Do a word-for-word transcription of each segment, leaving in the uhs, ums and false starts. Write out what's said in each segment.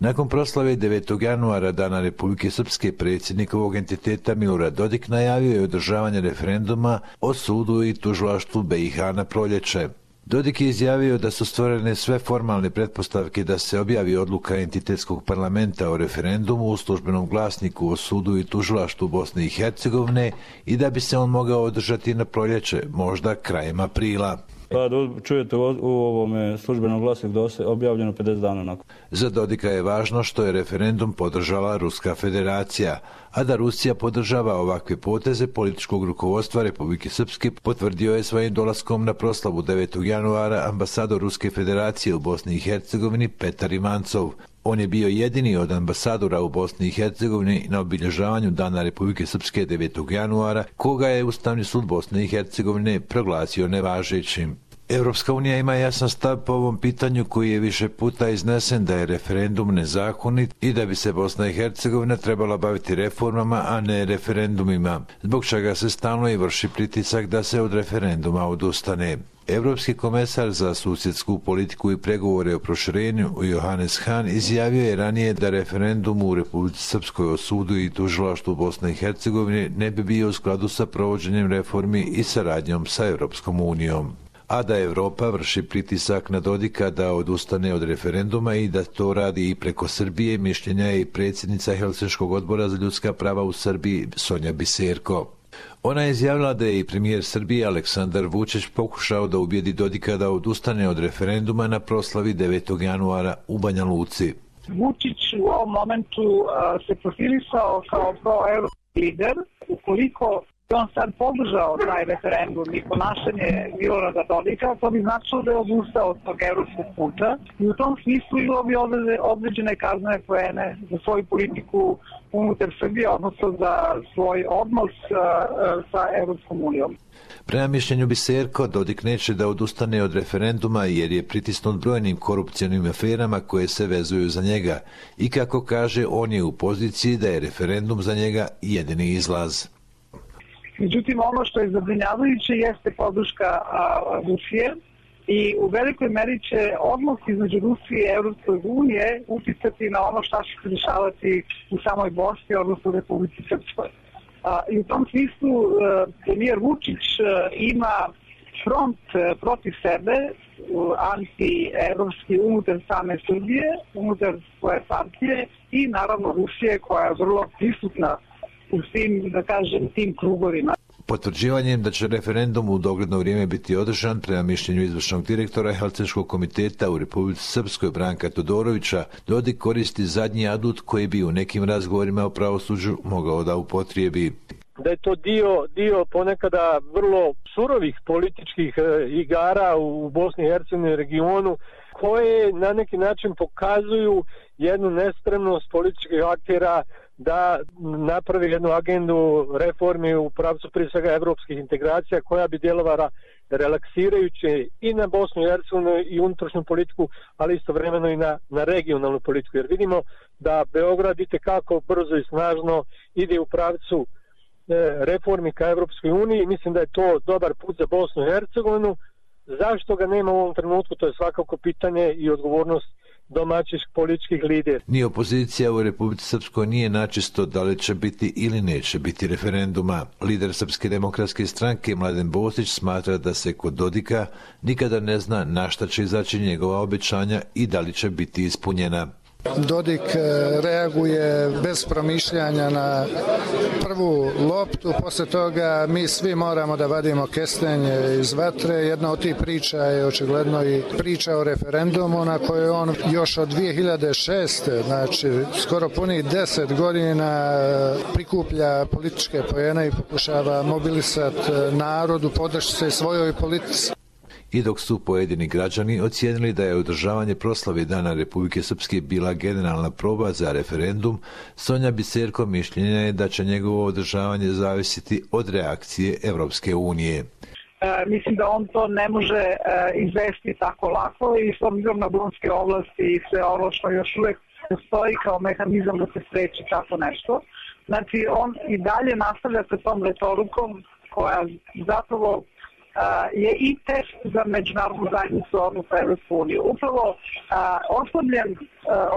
Nakon proslave devetog januara, Dana Republike Srpske, predsjednik ovog entiteta Milorad Dodik najavio je održavanje referenduma o sudu i tužilaštvu B i H na proljeće. Dodik je izjavio da su stvorene sve formalne pretpostavke da se objavi odluka entitetskog parlamenta o referendumu u službenom glasniku o sudu i tužilaštvu Bosne i Hercegovine i da bi se on mogao održati na proljeće, možda krajem aprila. Pa čujete u ovome službenom glasniku da je objavljeno pedeset dana nakon. Za Dodika je važno što je referendum podržala Ruska federacija, a da Rusija podržava ovakve poteze političkog rukovodstva Republike Srpske potvrdio je svojim dolaskom na proslavu devetog januara ambasador Ruske federacije u Bosni i Hercegovini Petar Ivancov. On je bio jedini od ambasadora u Bosni i Hercegovini na obilježavanju Dana Republike Srpske devetog januara, koga je Ustavni sud Bosne i Hercegovine proglasio nevažećim. Evropska unija ima jasan stav po ovom pitanju koji je više puta iznesen da je referendum nezakonit i da bi se Bosna i Hercegovina trebala baviti reformama, a ne referendumima, zbog čega se stalno i vrši pritisak da se od referenduma odustane. Evropski komesar za susjedsku politiku i pregovore o proširenju Johannes Hahn izjavio je ranije da referendum u Republici Srpskoj o sudu i tužilaštvu Bosne i Hercegovine ne bi bio u skladu sa provođenjem reformi i saradnjom sa Evropskom unijom, a da Evropa vrši pritisak na Dodika da odustane od referenduma i da to radi i preko Srbije, mišljenja je i predsjednica Helsinškog odbora za ljudska prava u Srbiji Sonja Biserko. Ona je izjavila da je i premijer Srbije Aleksandar Vučić pokušao da ubijedi Dodika da odustane od referenduma na proslavi devetog januara u Banja Luci. Vučić u ovom momentu uh, se profilisao kao proevropski lider. Ukoliko on sad podržao taj referendum i ponašanje Milorada Dodika, to bi značilo da je odustao od tog evropskog puta i u tom smislu imao bi određene kaznene poene za svoju politiku unutar Srbije, odnosno za svoj odnos uh, sa Evropskom unijom. Prema mišljenju Biserko, Dodik neće da odustane od referenduma jer je pritisnut brojnim korupcionim aferama koje se vezuju za njega i kako kaže, on je u poziciji da je referendum za njega jedini izlaz. Međutim, ono što je zabrinjavajuće jeste podrška Rusije i u velikoj meri će odnos između Rusije i Evropske unije uticati na ono šta će se dešavati u samoj Bosni, odnosno Republici Srpskoj. I u tom smislu premijer Vučić ima front protiv sebe, anti-evropski, unutar same Srbije, unutar svoje partije i naravno Rusije koja je vrlo prisutna u svim, da kažem, tim krugovima. Potvrđivanjem da će referendum u dogledno vrijeme biti održan, prema mišljenju izvršnog direktora Helsinškog komiteta u Republici Srpskoj Branka Todorovića, Dodik koristi zadnji adut koji bi u nekim razgovorima o pravosuđu mogao da upotrijebi. Da je to dio, dio ponekada vrlo surovih političkih igara u Bosni i Hercegovini regionu, koje na neki način pokazuju jednu nespremnost političkih aktera da napravi jednu agendu reformi u pravcu prije svega evropskih integracija koja bi djelovala relaksirajuće i na Bosnu i Hercegovinu i unutrašnju politiku, ali istovremeno i na, na regionalnu politiku. Jer vidimo da Beograd itekako brzo i snažno ide u pravcu reformi ka Evropskoj uniji. Mislim da je to dobar put za Bosnu i Hercegovinu. Zašto ga nema u ovom trenutku, to je svakako pitanje i odgovornost domaćih političkih lidera. Ni opozicija u Republici Srpskoj nije načisto da li će biti ili neće biti referenduma. Lider Srpske demokratske stranke Mladen Bosić smatra da se kod Dodika nikada ne zna na šta će izaći njegova obećanja i da li će biti ispunjena. Dodik reaguje bez promišljanja na prvu loptu, posle toga mi svi moramo da vadimo kestenje iz vatre. Jedna od tih priča je očigledno i priča o referendumu na kojoj on još od dvije hiljade šeste, znači skoro punih deset godina prikuplja političke poene i pokušava mobilisati narodu, podršći se svojoj politici. I dok su pojedini građani ocijenili da je održavanje proslave Dana Republike Srpske bila generalna proba za referendum, Sonja Biserko mišljenja je da će njegovo održavanje zavisiti od reakcije Evropske unije. E, mislim da on to ne može e, izvesti tako lako i s obzirom na Donske oblasti i sve ovo što još uvek postoji kao mehanizam da se spreči tako nešto. Znači on i dalje nastavlja sa tom retorikom koja zapravo je i test za međunarodnu zajednicu, odnosno Evropsku uniju. Upravo oslabljen,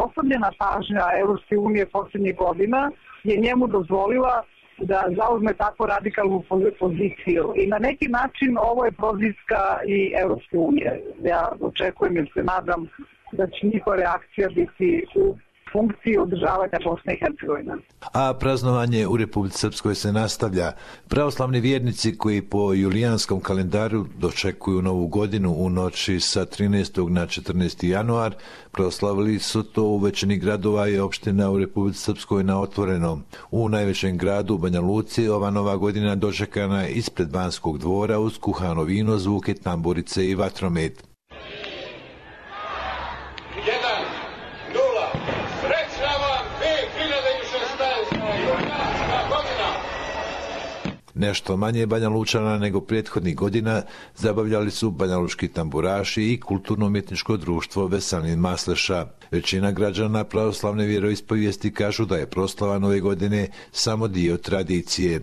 oslabljena pažnja Evropske unije posljednjih godina je njemu dozvolila da zauzme tako radikalnu poziciju. I na neki način ovo je prozivka i Evropske unije. Ja očekujem ili se nadam da će njihova reakcija biti u funkciji održavanja Bosne i Hercegovine. A praznovanje u Republici Srpskoj se nastavlja. Pravoslavni vjernici koji po julijanskom kalendaru dočekuju novu godinu u noći sa trinaestog na četrnaesti januar, proslavili su to u većini gradova i opština u Republici Srpskoj na otvorenom. U najvećem gradu, Banja Luci, ova nova godina dočekana je ispred Banskog dvora uz kuhano vino, zvuke tamburice i vatromet. Nešto manje Banja Lučana nego prethodnih godina zabavljali su banjalučki tamburaši i kulturno-umjetničko društvo Veselin Masleša. Većina građana pravoslavne vjeroispovijesti kažu da je proslava nove godine samo dio tradicije.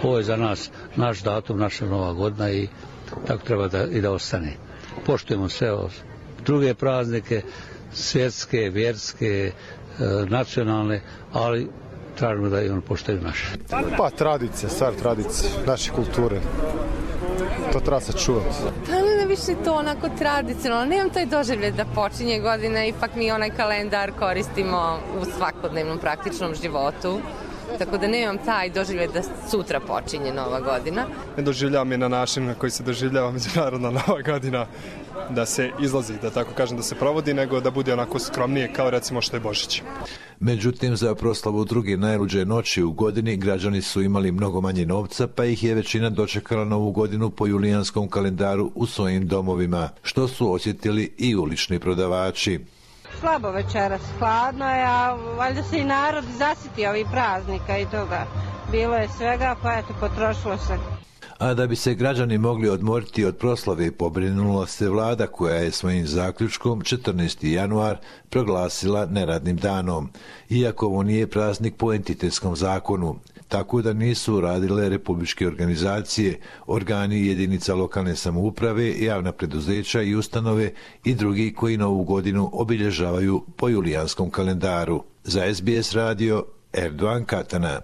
Ovo je za nas naš datum, naša nova godina i tako treba da, i da ostane. Poštujemo sve druge praznike, svjetske, vjerske, nacionalne, ali tražimo da i on poštaju naše. Pa tradicija, stvar tradicija, naše kulture. To treba se čuvati. Pa ne više to onako tradicionalno. Nemam taj doživljaj da počinje godina, ipak mi onaj kalendar koristimo u svakodnevnom praktičnom životu. Tako da nemam taj doživljaj da sutra počinje nova godina. Ne doživljavam je na način na koji se doživljava međunarodna nova godina, da se izlazi, da tako kažem, da se provodi, nego da bude onako skromnije kao recimo što je Božić. Međutim, za proslavu druge najluđe noći u godini građani su imali mnogo manje novca, pa ih je većina dočekala novu godinu po julijanskom kalendaru u svojim domovima, što su osjetili i ulični prodavači. Slabo večeras, hladno je, a valjda se i narod zasiti ovih praznika i toga. Bilo je svega, pa eto, potrošilo se. A da bi se građani mogli odmoriti od proslave, pobrinula se vlada koja je svojim zaključkom četrnaesti januar proglasila neradnim danom, iako ovo nije praznik po entitetskom zakonu, tako da nisu radile republičke organizacije, organi jedinica lokalne samouprave, javna preduzeća i ustanove i drugi koji novu godinu obilježavaju po julijanskom kalendaru. Za S B S radio, Erdogan Katana.